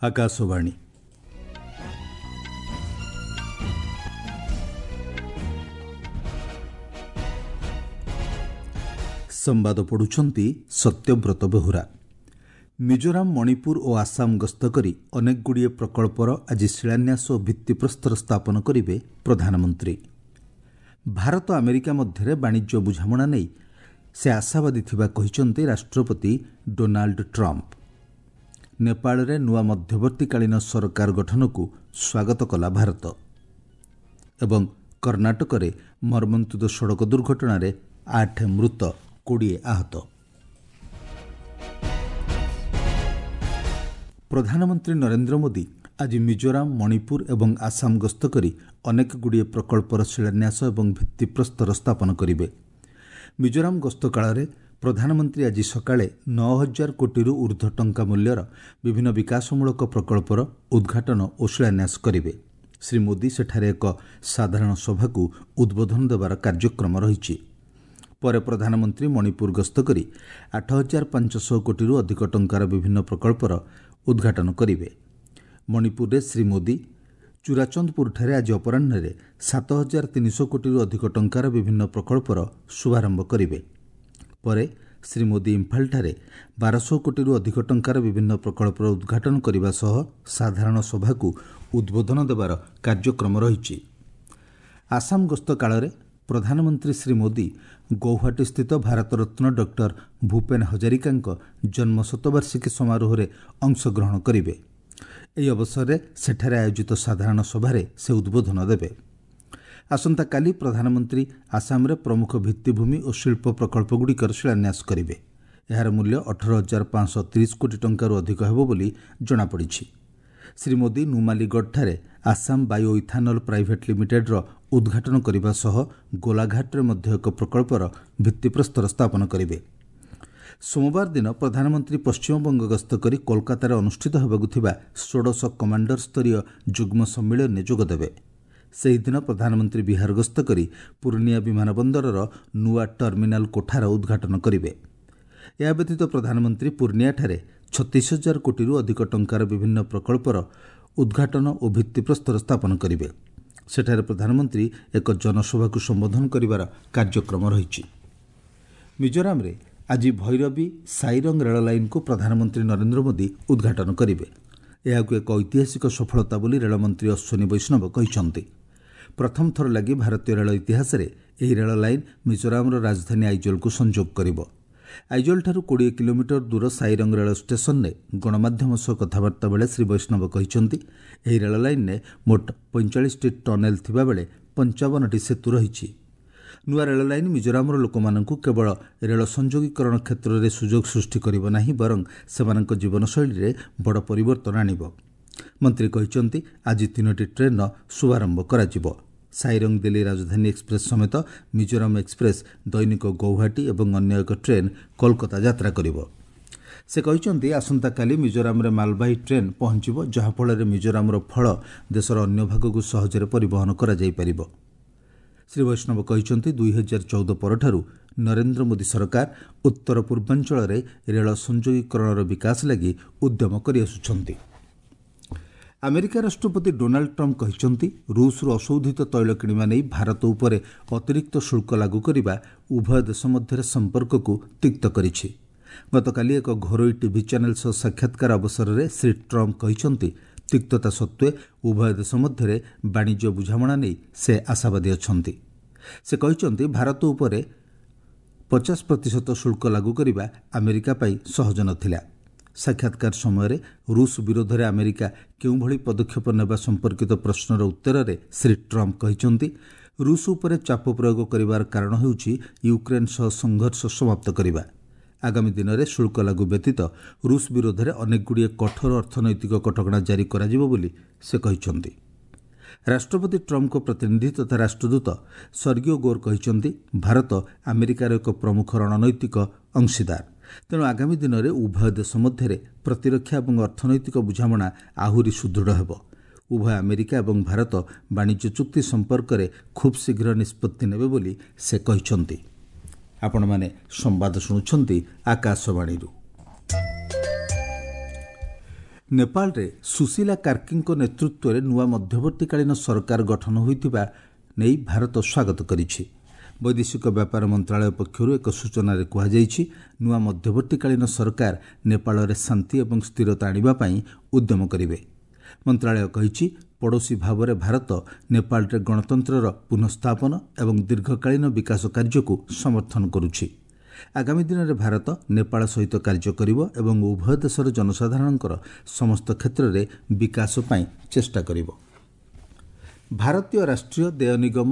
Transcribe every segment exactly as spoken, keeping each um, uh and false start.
ଆକାଶବାଣୀ। ସମ୍ବାଦ ପଢ଼ୁଛନ୍ତି ସତ୍ୟବ୍ରତ ବେହୁରା। ମିଜୋରାମ, ମଣିପୁର ଓ ଆସାମ ଗସ୍ତ କରି ଅନେକଗୁଡ଼ିଏ ପ୍ରକଳ୍ପର ଆଜି ଶିଳାନ୍ୟାସ ଓ ଭିତ୍ତିପ୍ରସ୍ତର ସ୍ଥାପନ କରିବେ ପ୍ରଧାନମନ୍ତ୍ରୀ। ଭାରତ ଆମେରିକା ମଧ୍ୟରେ ବାଣିଜ୍ୟ ବୁଝାମଣା ନେଇ ସେ ଆଶାବାଦୀ ଥିବା କହିଛନ୍ତି ରାଷ୍ଟ୍ରପତି ଡୋନାଲ୍ଡ ଟ୍ରମ୍ପ। ନେପାଳରେ ନୂଆ ମଧ୍ୟବର୍ତ୍ତୀକାଳୀନ ସରକାର ଗଠନକୁ ସ୍ୱାଗତ କଲା ଭାରତ। ଏବଂ କର୍ଣ୍ଣାଟକରେ ମର୍ମନ୍ତୁଦ ସଡ଼କ ଦୁର୍ଘଟଣାରେ ଆଠ ମୃତ, କୋଡ଼ିଏ ଆହତ। ପ୍ରଧାନମନ୍ତ୍ରୀ ନରେନ୍ଦ୍ର ମୋଦି ଆଜି ମିଜୋରାମ, ମଣିପୁର ଏବଂ ଆସାମ ଗସ୍ତ କରି ଅନେକଗୁଡ଼ିଏ ପ୍ରକଳ୍ପର ଶିଳାନ୍ୟାସ ଏବଂ ଭିତ୍ତିପ୍ରସ୍ତର ସ୍ଥାପନ କରିବେ। ମିଜୋରାମ ଗସ୍ତ କାଳରେ ପ୍ରଧାନମନ୍ତ୍ରୀ ଆଜି ସକାଳେ ନଅ ହଜାର କୋଟିରୁ ଉର୍ଦ୍ଧ୍ୱ ଟଙ୍କା ମୂଲ୍ୟର ବିଭିନ୍ନ ବିକାଶମୂଳକ ପ୍ରକଳ୍ପର ଉଦ୍ଘାଟନ ଓ ଶିଳାନ୍ୟାସ କରିବେ। ଶ୍ରୀ ମୋଦି ସେଠାରେ ଏକ ସାଧାରଣ ସଭାକୁ ଉଦ୍ବୋଧନ ଦେବାର କାର୍ଯ୍ୟକ୍ରମ ରହିଛି। ପରେ ପ୍ରଧାନମନ୍ତ୍ରୀ ମଣିପୁର ଗସ୍ତ କରି ଆଠ ହଜାର ପାଞ୍ଚଶହ କୋଟିରୁ ଅଧିକ ଟଙ୍କାର ବିଭିନ୍ନ ପ୍ରକଳ୍ପର ଉଦ୍ଘାଟନ କରିବେ। ମଣିପୁରରେ ଶ୍ରୀ ମୋଦି ଚୁରାଚନ୍ଦପୁରଠାରେ ଆଜି ଅପରାହ୍ନରେ ସାତ ହଜାର ତିନିଶହ କୋଟିରୁ ଅଧିକ ଟଙ୍କାର ବିଭିନ୍ନ ପ୍ରକଳ୍ପର ଶୁଭାରମ୍ଭ କରିବେ। ପରେ ଶ୍ରୀ ମୋଦି ଇମ୍ଫାଲଠାରେ ବାରଶହ କୋଟିରୁ ଅଧିକ ଟଙ୍କାର ବିଭିନ୍ନ ପ୍ରକଳ୍ପର ଉଦ୍ଘାଟନ କରିବା ସହ ସାଧାରଣ ସଭାକୁ ଉଦ୍ବୋଧନ ଦେବାର କାର୍ଯ୍ୟକ୍ରମ ରହିଛି। ଆସାମ ଗସ୍ତ କାଳରେ ପ୍ରଧାନମନ୍ତ୍ରୀ ଶ୍ରୀ ମୋଦି ଗୌହାଟୀସ୍ଥିତ ଭାରତରତ୍ନ ଡକ୍ଟର ଭୂପେନ ହଜାରିକାଙ୍କ ଜନ୍ମ ଶତବାର୍ଷିକୀ ସମାରୋହରେ ଅଂଶଗ୍ରହଣ କରିବେ। ଏହି ଅବସରରେ ସେଠାରେ ଆୟୋଜିତ ସାଧାରଣ ସଭାରେ ସେ ଉଦ୍ବୋଧନ ଦେବେ। ଆସନ୍ତାକାଲି ପ୍ରଧାନମନ୍ତ୍ରୀ ଆସାମରେ ପ୍ରମୁଖ ଭିତ୍ତିଭୂମି ଓ ଶିଳ୍ପ ପ୍ରକଳ୍ପଗୁଡ଼ିକର ଶିଳାନ୍ୟାସ କରିବେ। ଏହାର ମୂଲ୍ୟ ଅଠର ହଜାର ପାଞ୍ଚଶହ ତିରିଶ କୋଟି ଟଙ୍କାରୁ ଅଧିକ ହେବ ବୋଲି ଜଣାପଡ଼ିଛି। ଶ୍ରୀ ମୋଦି ନୁମାଲିଗଡ଼ଠାରେ ଆସାମ ବାୟୋ ଇଥାନଲ ପ୍ରାଇଭେଟ୍ ଲିମିଟେଡ୍ର ଉଦ୍ଘାଟନ କରିବା ସହ ଗୋଲାଘାଟରେ ମଧ୍ୟ ଏକ ପ୍ରକଳ୍ପର ଭିତ୍ତିପ୍ରସ୍ତର ସ୍ଥାପନ କରିବେ। ସୋମବାର ଦିନ ପ୍ରଧାନମନ୍ତ୍ରୀ ପଶ୍ଚିମବଙ୍ଗ ଗସ୍ତ କରି କୋଲକାତାରେ ଅନୁଷ୍ଠିତ ହେବାକୁ ଥିବା ଷୋଡ଼ଶ କମାଣ୍ଡର ସ୍ତରୀୟ ଯୁଗ୍ମ ସମ୍ମିଳନୀରେ ଯୋଗଦେବେ। ସେହିଦିନ ପ୍ରଧାନମନ୍ତ୍ରୀ ବିହାର ଗସ୍ତ କରି ପୂର୍ଣ୍ଣିଆ ବିମାନ ବନ୍ଦରର ନୂଆ ଟର୍ମିନାଲ କୋଠାର ଉଦ୍ଘାଟନ କରିବେ। ଏହା ବ୍ୟତୀତ ପ୍ରଧାନମନ୍ତ୍ରୀ ପୂର୍ଣ୍ଣିଆଠାରେ ଛତିଶ ହଜାର କୋଟିରୁ ଅଧିକ ଟଙ୍କାର ବିଭିନ୍ନ ପ୍ରକଳ୍ପର ଉଦ୍ଘାଟନ ଓ ଭିତ୍ତିପ୍ରସ୍ତର ସ୍ଥାପନ କରିବେ। ସେଠାରେ ପ୍ରଧାନମନ୍ତ୍ରୀ ଏକ ଜନସଭାକୁ ସମ୍ବୋଧନ କରିବାର କାର୍ଯ୍ୟକ୍ରମ ରହିଛି। ମିଜୋରାମରେ ଆଜି ଭୈରବୀ ସାଇରଙ୍ଗ ରେଳ ଲାଇନ୍କୁ ପ୍ରଧାନମନ୍ତ୍ରୀ ନରେନ୍ଦ୍ର ମୋଦି ଉଦ୍ଘାଟନ କରିବେ। ଏହାକୁ ଏକ ଐତିହାସିକ ସଫଳତା ବୋଲି ରେଳମନ୍ତ୍ରୀ ଅଶ୍ୱିନୀ ବୈଷ୍ଣବ କହିଛନ୍ତି। ପ୍ରଥମ ଥର ଲାଗି ଭାରତୀୟ ରେଳ ଇତିହାସରେ ଏହି ରେଳ ଲାଇନ୍ ମିଜୋରାମର ରାଜଧାନୀ ଆଇଜଲକୁ ସଂଯୋଗ କରିବ। ଆଇଜଲଠାରୁ କୋଡ଼ିଏ କିଲୋମିଟର ଦୂର ସାଇରଙ୍ଗ ରେଳ ଷ୍ଟେସନରେ ଗଣମାଧ୍ୟମ ସହ କଥାବାର୍ତ୍ତା ବେଳେ ଶ୍ରୀ ବୈଷ୍ଣବ କହିଛନ୍ତି, ଏହି ରେଳ ଲାଇନ୍ରେ ମୋଟ ପଇଁଚାଳିଶଟି ଟନେଲ ଥିବାବେଳେ ପଞ୍ଚାବନଟି ସେତୁ ରହିଛି। ନୂଆ ରେଳ ଲାଇନ୍ ମିଜୋରାମର ଲୋକମାନଙ୍କୁ କେବଳ ରେଳ ସଂଯୋଗୀକରଣ କ୍ଷେତ୍ରରେ ସୁଯୋଗ ସୃଷ୍ଟି କରିବ ନାହିଁ, ବରଂ ସେମାନଙ୍କ ଜୀବନଶୈଳୀରେ ବଡ଼ ପରିବର୍ତ୍ତନ ଆଣିବ। ମନ୍ତ୍ରୀ କହିଛନ୍ତି, ଆଜି ତିନୋଟି ଟ୍ରେନ୍ର ଶୁଭାରମ୍ଭ କରାଯିବ। ସାଇରଙ୍ଗ ଦିଲ୍ଲୀ ରାଜଧାନୀ ଏକ୍ସପ୍ରେସ୍ ସମେତ ମିଜୋରାମ ଏକ୍ସପ୍ରେସ୍ ଦୈନିକ ଗୌହାଟୀ ଏବଂ ଅନ୍ୟ ଏକ ଟ୍ରେନ୍ କୋଲକାତା ଯାତ୍ରା କରିବ। ସେ କହିଛନ୍ତି, ଆସନ୍ତାକାଲି ମିଜୋରାମରେ ମାଲବାହୀ ଟ୍ରେନ୍ ପହଞ୍ଚିବ, ଯାହାଫଳରେ ମିଜୋରାମର ଫଳ ଦେଶର ଅନ୍ୟ ଭାଗକୁ ସହଜରେ ପରିବହନ କରାଯାଇପାରିବ। ଶ୍ରୀ ବୈଷ୍ଣବ କହିଛନ୍ତି, ଦୁଇ ହଜାର ଚଉଦ ପରଠାରୁ ନରେନ୍ଦ୍ର ମୋଦି ସରକାର ଉତ୍ତର ପୂର୍ବାଞ୍ଚଳରେ ରେଳ ସଂଯୋଗୀକରଣର ବିକାଶ ଲାଗି ଉଦ୍ୟମ କରିଆସୁଛନ୍ତି। ଆମେରିକା ରାଷ୍ଟ୍ରପତି ଡୋନାଲ୍ଡ ଟ୍ରମ୍ପ କହିଛନ୍ତି, ରୁଷରୁ ଅଶୋଧିତ ତୈଳ କିଣିବା ନେଇ ଭାରତ ଉପରେ ଅତିରିକ୍ତ ଶୁଳ୍କ ଲାଗୁ କରିବା ଉଭୟ ଦେଶ ମଧ୍ୟରେ ସମ୍ପର୍କକୁ ତିକ୍ତ କରିଛି। ଗତକାଲି ଏକ ଘରୋଇ ଟିଭି ଚ୍ୟାନେଲ ସହ ସାକ୍ଷାତକାର ଅବସରରେ ଶ୍ରୀ ଟ୍ରମ୍ପ କହିଛନ୍ତି, ତିକ୍ତତା ସତ୍ତ୍ୱେ ଉଭୟ ଦେଶ ମଧ୍ୟରେ ବାଣିଜ୍ୟ ବୁଝାମଣା ନେଇ ସେ ଆଶାବାଦୀ ଅଛନ୍ତି। ସେ କହିଛନ୍ତି, ଭାରତ ଉପରେ ପଚାଶ ପ୍ରତିଶତ ଶୁଳ୍କ ଲାଗୁ କରିବା ଆମେରିକା ପାଇଁ ସହଜ ନଥିଲା। ସାକ୍ଷାତକାର ସମୟରେ ରୁଷ ବିରୋଧରେ ଆମେରିକା କେଉଁଭଳି ପଦକ୍ଷେପ ନେବା ସମ୍ପର୍କିତ ପ୍ରଶ୍ନର ଉତ୍ତରରେ ଶ୍ରୀ ଟ୍ରମ୍ପ କହିଛନ୍ତି, ରୁଷ ଉପରେ ଚାପ ପ୍ରୟୋଗ କରିବାର କାରଣ ହେଉଛି ୟୁକ୍ରେନ୍ ସହ ସଂଘର୍ଷ ସମାପ୍ତ କରିବା। ଆଗାମୀ ଦିନରେ ଶୁଳ୍କ ଲାଗୁ ବ୍ୟତୀତ ରୁଷ ବିରୋଧରେ ଅନେକଗୁଡ଼ିଏ କଠୋର ଅର୍ଥନୈତିକ କଟକଣା ଜାରି କରାଯିବ ବୋଲି ସେ କହିଛନ୍ତି। ରାଷ୍ଟ୍ରପତି ଟ୍ରମ୍ପଙ୍କ ପ୍ରତିନିଧି ତଥା ରାଷ୍ଟ୍ରଦୂତ ସର୍ଗିଓ ଗୋର୍ କହିଛନ୍ତି, ଭାରତ ଆମେରିକାର ଏକ ପ୍ରମୁଖ ରଣନୈତିକ ଅଂଶୀଦାର। ତେଣୁ ଆଗାମୀ ଦିନରେ ଉଭୟ ଦେଶ ମଧ୍ୟରେ ପ୍ରତିରକ୍ଷା ଏବଂ ଅର୍ଥନୈତିକ ବୁଝାମଣା ଆହୁରି ସୁଦୃଢ଼ ହେବ। ଉଭୟ ଆମେରିକା ଏବଂ ଭାରତ ବାଣିଜ୍ୟ ଚୁକ୍ତି ସମ୍ପର୍କରେ ଖୁବ୍ ଶୀଘ୍ର ନିଷ୍ପତ୍ତି ନେବେ ବୋଲି ସେ କହିଛନ୍ତି। ଆପଣମାନେ ସମ୍ବାଦ ଶୁଣୁଛନ୍ତି ଆକାଶବାଣୀରୁ। ନେପାଳରେ ସୁଶୀଲା କାର୍କିଙ୍କ ନେତୃତ୍ୱରେ ନୂଆ ମଧ୍ୟବର୍ତ୍ତୀକାଳୀନ ସରକାର ଗଠନ ହୋଇଥିବା ନେଇ ଭାରତ ସ୍ୱାଗତ କରିଛି। ବୈଦେଶିକ ବ୍ୟାପାର ମନ୍ତ୍ରଣାଳୟ ପକ୍ଷରୁ ଏକ ସୂଚନାରେ କୁହାଯାଇଛି, ନୂଆ ମଧ୍ୟବର୍ତ୍ତୀକାଳୀନ ସରକାର ନେପାଳରେ ଶାନ୍ତି ଏବଂ ସ୍ଥିରତା ଆଣିବା ପାଇଁ ଉଦ୍ୟମ କରିବେ। ମନ୍ତ୍ରଣାଳୟ କହିଛି, ପଡ଼ୋଶୀ ଭାବରେ ଭାରତ ନେପାଳରେ ଗଣତନ୍ତ୍ରର ପୁନଃସ୍ଥାପନ ଏବଂ ଦୀର୍ଘକାଳୀନ ବିକାଶ କାର୍ଯ୍ୟକୁ ସମର୍ଥନ କରୁଛି। ଆଗାମୀ ଦିନରେ ଭାରତ ନେପାଳ ସହିତ କାର୍ଯ୍ୟ କରିବ ଏବଂ ଉଭୟ ଦେଶର ଜନସାଧାରଣଙ୍କର ସମସ୍ତ କ୍ଷେତ୍ରରେ ବିକାଶ ପାଇଁ ଚେଷ୍ଟା କରିବ। ଭାରତୀୟ ରାଷ୍ଟ୍ରୀୟ ଦେୟ ନିଗମ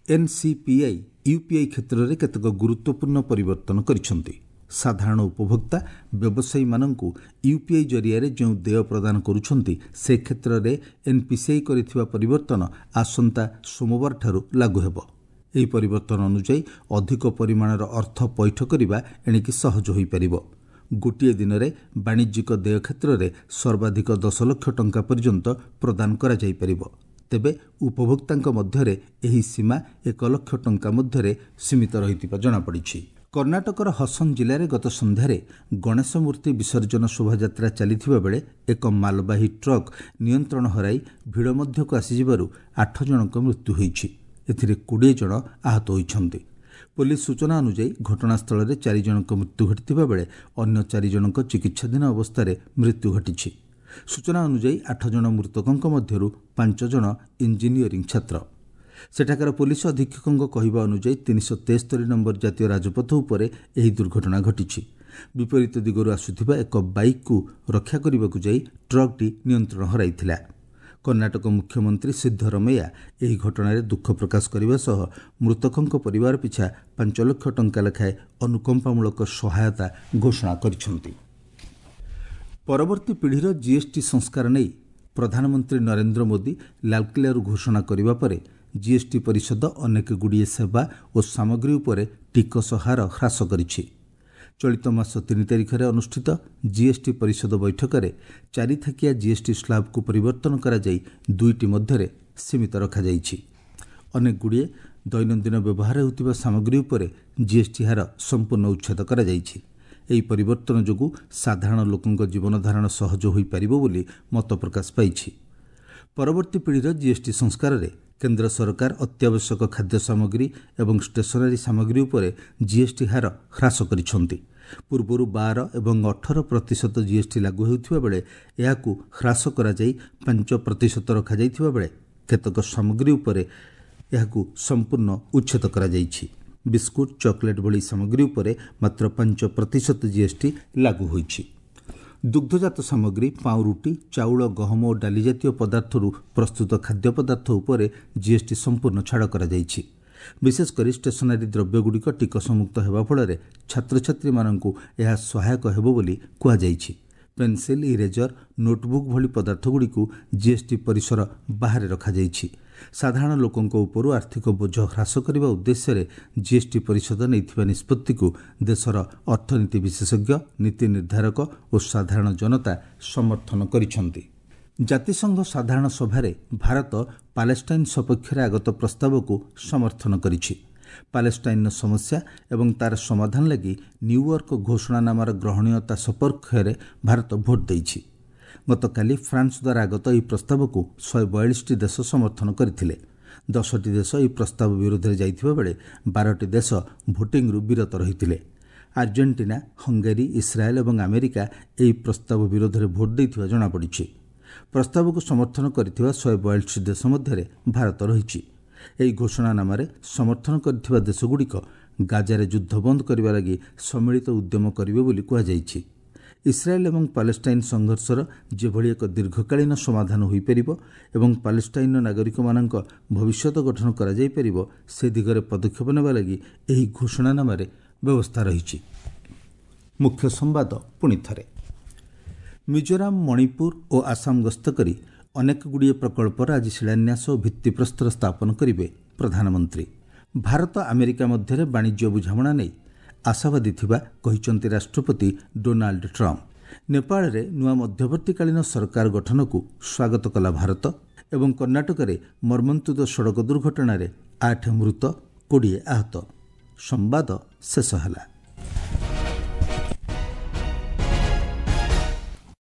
ଏନ୍ସିପିଆଇ ୟୁପିଆଇ କ୍ଷେତ୍ରରେ କେତେକ ଗୁରୁତ୍ୱପୂର୍ଣ୍ଣ ପରିବର୍ତ୍ତନ କରିଛନ୍ତି। ସାଧାରଣ ଉପଭୋକ୍ତା ବ୍ୟବସାୟୀମାନଙ୍କୁ ୟୁପିଆଇ ଜରିଆରେ ଯେଉଁ ଦେୟ ପ୍ରଦାନ କରୁଛନ୍ତି, ସେ କ୍ଷେତ୍ରରେ ଏନ୍ପିସିଆଇ କରିଥିବା ପରିବର୍ତ୍ତନ ଆସନ୍ତା ସୋମବାରଠାରୁ ଲାଗୁ ହେବ। ଏହି ପରିବର୍ତ୍ତନ ଅନୁଯାୟୀ ଅଧିକ ପରିମାଣର ଅର୍ଥ ପଇଠ କରିବା ଏଣିକି ସହଜ ହୋଇପାରିବ। ଗୋଟିଏ ଦିନରେ ବାଣିଜ୍ୟିକ ଦେୟ କ୍ଷେତ୍ରରେ ସର୍ବାଧିକ ଦଶ ଲକ୍ଷ ଟଙ୍କା ପର୍ଯ୍ୟନ୍ତ ପ୍ରଦାନ କରାଯାଇପାରିବ। ତେବେ ଉପଭୋକ୍ତାଙ୍କ ମଧ୍ୟରେ ଏହି ସୀମା ଏକ ଲକ୍ଷ ଟଙ୍କା ମଧ୍ୟରେ ସୀମିତ ରହିଥିବା ଜଣାପଡ଼ିଛି। କର୍ଣ୍ଣାଟକର ହସନ ଜିଲ୍ଲାରେ ଗତ ସନ୍ଧ୍ୟାରେ ଗଣେଶ ମୂର୍ତ୍ତି ବିସର୍ଜନ ଶୋଭାଯାତ୍ରା ଚାଲିଥିବା ବେଳେ ଏକ ମାଲବାହୀ ଟ୍ରକ୍ ନିୟନ୍ତ୍ରଣ ହରାଇ ଭିଡ଼ ମଧ୍ୟକୁ ଆସିଯିବାରୁ ଆଠ ଜଣଙ୍କ ମୃତ୍ୟୁ ହୋଇଛି। ଏଥିରେ କୋଡ଼ିଏ ଜଣ ଆହତ ହୋଇଛନ୍ତି। ପୋଲିସ ସୂଚନା ଅନୁଯାୟୀ ଘଟଣାସ୍ଥଳରେ ଚାରି ଜଣଙ୍କ ମୃତ୍ୟୁ ଘଟିଥିବା ବେଳେ ଅନ୍ୟ ଚାରି ଜଣଙ୍କ ଚିକିତ୍ସାଧୀନ ଅବସ୍ଥାରେ ମୃତ୍ୟୁ ଘଟିଛି। ସୂଚନା ଅନୁଯାୟୀ ଆଠ ଜଣ ମୃତକଙ୍କ ମଧ୍ୟରୁ ପାଞ୍ଚ ଜଣ ଇଞ୍ଜିନିୟରିଂ ଛାତ୍ର। ସେଠାକାର ପୋଲିସ ଅଧୀକ୍ଷକଙ୍କ କହିବା ଅନୁଯାୟୀ ତିନିଶହ ତେସ୍ତରୀ ନମ୍ବର ଜାତୀୟ ରାଜପଥ ଉପରେ ଏହି ଦୁର୍ଘଟଣା ଘଟିଛି। ବିପରୀତ ଦିଗରୁ ଆସୁଥିବା ଏକ ବାଇକ୍କୁ ରକ୍ଷା କରିବାକୁ ଯାଇ ଟ୍ରକ୍ଟି ନିୟନ୍ତ୍ରଣ ହରାଇଥିଲା। କର୍ଣ୍ଣାଟକ ମୁଖ୍ୟମନ୍ତ୍ରୀ ସିଦ୍ଧରମୈୟା ଏହି ଘଟଣାରେ ଦୁଃଖ ପ୍ରକାଶ କରିବା ସହ ମୃତକଙ୍କ ପରିବାର ପିଛା ପାଞ୍ଚ ଲକ୍ଷ ଟଙ୍କା ଲେଖାଏଁ ଅନୁକମ୍ପାମୂଳକ ସହାୟତା ଘୋଷଣା କରିଛନ୍ତି। ପରବର୍ତ୍ତୀ ପିଢ଼ିର ଜିଏସ୍ଟି ସଂସ୍କାର ନେଇ ପ୍ରଧାନମନ୍ତ୍ରୀ ନରେନ୍ଦ୍ର ମୋଦି ଲାଲକିଲ୍ଲାରୁ ଘୋଷଣା କରିବା ପରେ ଜିଏସ୍ଟି ପରିଷଦ ଅନେକ ଗୁଡ଼ିଏ ସେବା ଓ ସାମଗ୍ରୀ ଉପରେ ଟିକସ ହାର ହ୍ରାସ କରିଛି। ଚଳିତ ମାସ ତିନି ତାରିଖରେ ଅନୁଷ୍ଠିତ ଜିଏସ୍ଟି ପରିଷଦ ବୈଠକରେ ଚାରିଥାକିଆ ଜିଏସ୍ଟି ସ୍ଲାବ୍କୁ ପରିବର୍ତ୍ତନ କରାଯାଇ ଦୁଇଟି ମଧ୍ୟରେ ସୀମିତ ରଖାଯାଇଛି। ଅନେକ ଗୁଡ଼ିଏ ଦୈନନ୍ଦିନ ବ୍ୟବହାର ହେଉଥିବା ସାମଗ୍ରୀ ଉପରେ ଜିଏସ୍ଟି ହାର ସମ୍ପୂର୍ଣ୍ଣ ଉଚ୍ଛେଦ କରାଯାଇଛି। ଏହି ପରିବର୍ତ୍ତନ ଯୋଗୁଁ ସାଧାରଣ ଲୋକଙ୍କ ଜୀବନଧାରଣ ସହଜ ହୋଇପାରିବ ବୋଲି ମତ ପ୍ରକାଶ ପାଇଛି। ପରବର୍ତ୍ତୀ ପିଢ଼ିର ଜିଏସ୍ଟି ସଂସ୍କାରରେ କେନ୍ଦ୍ର ସରକାର ଅତ୍ୟାବଶ୍ୟକ ଖାଦ୍ୟ ସାମଗ୍ରୀ ଏବଂ ଷ୍ଟେସନାରୀ ସାମଗ୍ରୀ ଉପରେ ଜିଏସ୍ଟି ହାର ହ୍ରାସ କରିଛନ୍ତି। ପୂର୍ବରୁ ବାର ଏବଂ ଅଠର ପ୍ରତିଶତ ଜିଏସ୍ଟି ଲାଗୁ ହେଉଥିବା ବେଳେ ଏହାକୁ ହ୍ରାସ କରାଯାଇ ପାଞ୍ଚ ପ୍ରତିଶତ ରଖାଯାଇଥିବା ବେଳେ କେତେକ ସାମଗ୍ରୀ ଉପରେ ଏହାକୁ ସମ୍ପୂର୍ଣ୍ଣ ଉଚ୍ଛେଦ କରାଯାଇଛି। ବିସ୍କୁଟ, ଚକୋଲେଟ୍ ଭଳି ସାମଗ୍ରୀ ଉପରେ ମାତ୍ର ପାଞ୍ଚ ପ୍ରତିଶତ ଜିଏସ୍ଟି ଲାଗୁ ହୋଇଛି। ଦୁଗ୍ଧଜାତ ସାମଗ୍ରୀ, ପାଉଁରୁଟି, ଚାଉଳ, ଗହମ ଓ ଡାଲି ଜାତୀୟ ପଦାର୍ଥରୁ ପ୍ରସ୍ତୁତ ଖାଦ୍ୟ ପଦାର୍ଥ ଉପରେ ଜିଏସ୍ଟି ସମ୍ପୂର୍ଣ୍ଣ ଛାଡ଼ କରାଯାଇଛି। ବିଶେଷ କରି ଷ୍ଟେସନାରୀ ଦ୍ରବ୍ୟଗୁଡ଼ିକ ଟିକସମୁକ୍ତ ହେବା ଫଳରେ ଛାତ୍ରଛାତ୍ରୀମାନଙ୍କୁ ଏହା ସହାୟକ ହେବ ବୋଲି କୁହାଯାଇଛି। ପେନ୍ସିଲ୍, ଇରେଜର, ନୋଟବୁକ୍ ଭଳି ପଦାର୍ଥଗୁଡ଼ିକୁ ଜିଏସ୍ଟି ପରିସର ବାହାରେ ରଖାଯାଇଛି। ସାଧାରଣ ଲୋକଙ୍କ ଉପରୁ ଆର୍ଥିକ ବୋଝ ହ୍ରାସ କରିବା ଉଦ୍ଦେଶ୍ୟରେ ଜିଏସ୍ଟି ପରିଷଦ ନେଇଥିବା ନିଷ୍ପତ୍ତିକୁ ଦେଶର ଅର୍ଥନୀତି ବିଶେଷଜ୍ଞ, ନୀତି ନିର୍ଦ୍ଧାରକ ଓ ସାଧାରଣ ଜନତା ସମର୍ଥନ କରିଛନ୍ତି। ଜାତିସଂଘ ସାଧାରଣ ସଭାରେ ଭାରତ ପାଲେଷ୍ଟାଇନ୍ ସପକ୍ଷରେ ଆଗତ ପ୍ରସ୍ତାବକୁ ସମର୍ଥନ କରିଛି। ପାଲେଷ୍ଟାଇନ୍ର ସମସ୍ୟା ଏବଂ ତା'ର ସମାଧାନ ଲାଗି ନ୍ୟୁୟର୍କ ଘୋଷଣାନାମାର ଗ୍ରହଣୀୟତା ସପକ୍ଷରେ ଭାରତ ଭୋଟ୍ ଦେଇଛି। ଗତକାଲି ଫ୍ରାନ୍ସ ଦ୍ୱାରା ଆଗତ ଏହି ପ୍ରସ୍ତାବକୁ ଶହେ ବୟାଳିଶଟି ଦେଶ ସମର୍ଥନ କରିଥିଲେ। ଦଶଟି ଦେଶ ଏହି ପ୍ରସ୍ତାବ ବିରୋଧରେ ଯାଇଥିବା ବେଳେ ବାରଟି ଦେଶ ଭୋଟିଂରୁ ବିରତ ରହିଥିଲେ। ଆର୍ଜେଣ୍ଟିନା, ହଙ୍ଗେରୀ, ଇସ୍ରାଏଲ୍ ଏବଂ ଆମେରିକା ଏହି ପ୍ରସ୍ତାବ ବିରୋଧରେ ଭୋଟ୍ ଦେଇଥିବା ଜଣାପଡ଼ିଛି। ପ୍ରସ୍ତାବକୁ ସମର୍ଥନ କରିଥିବା ଶହେ ବୟାଳିଶ ଦେଶ ମଧ୍ୟରେ ଭାରତ ରହିଛି। ଏହି ଘୋଷଣାନାମାରେ ସମର୍ଥନ କରିଥିବା ଦେଶଗୁଡ଼ିକ ଗାଜାରେ ଯୁଦ୍ଧ ବନ୍ଦ କରିବା ଲାଗି ସମ୍ମିଳିତ ଉଦ୍ୟମ କରିବେ ବୋଲି କୁହାଯାଇଛି। ଇସ୍ରାଏଲ୍ ଏବଂ ପାଲେଷ୍ଟାଇନ୍ ସଂଘର୍ଷର ଯେଭଳି ଏକ ଦୀର୍ଘକାଳୀନ ସମାଧାନ ହୋଇପାରିବ ଏବଂ ପାଲେଷ୍ଟାଇନ୍ର ନାଗରିକମାନଙ୍କ ଭବିଷ୍ୟତ ଗଠନ କରାଯାଇପାରିବ, ସେ ଦିଗରେ ପଦକ୍ଷେପ ନେବା ଲାଗି ଏହି ଘୋଷଣାନାମାରେ ବ୍ୟବସ୍ଥା ରହିଛି। ମୁଖ୍ୟ ସମ୍ବାଦ ପୁଣି ଥରେ। ମିଜୋରାମ, ମଣିପୁର ଓ ଆସାମ ଗସ୍ତ କରି ଅନେକ ଗୁଡ଼ିଏ ପ୍ରକଳ୍ପର ଆଜି ଶିଳାନ୍ୟାସ ଓ ଭିତ୍ତିପ୍ରସ୍ତର ସ୍ଥାପନ କରିବେ ପ୍ରଧାନମନ୍ତ୍ରୀ। ଭାରତ ଆମେରିକା ମଧ୍ୟରେ ବାଣିଜ୍ୟ ବୁଝାମଣା ନେଇ ଆଶାବାଦୀ ଥିବା କହିଛନ୍ତି ରାଷ୍ଟ୍ରପତି ଡୋନାଲ୍ଡ ଟ୍ରମ୍ପ। ନେପାଳରେ ନୂଆ ମଧ୍ୟବର୍ତ୍ତୀକାଳୀନ ସରକାର ଗଠନକୁ ସ୍ୱାଗତ କଲା ଭାରତ। ଏବଂ କର୍ଣ୍ଣାଟକରେ ମର୍ମନ୍ତୁଦ ସଡ଼କ ଦୁର୍ଘଟଣାରେ ଆଠ ମୃତ, କୋଡ଼ିଏ ଆହତ। ସମ୍ବାଦ ଶେଷ ହେଲା।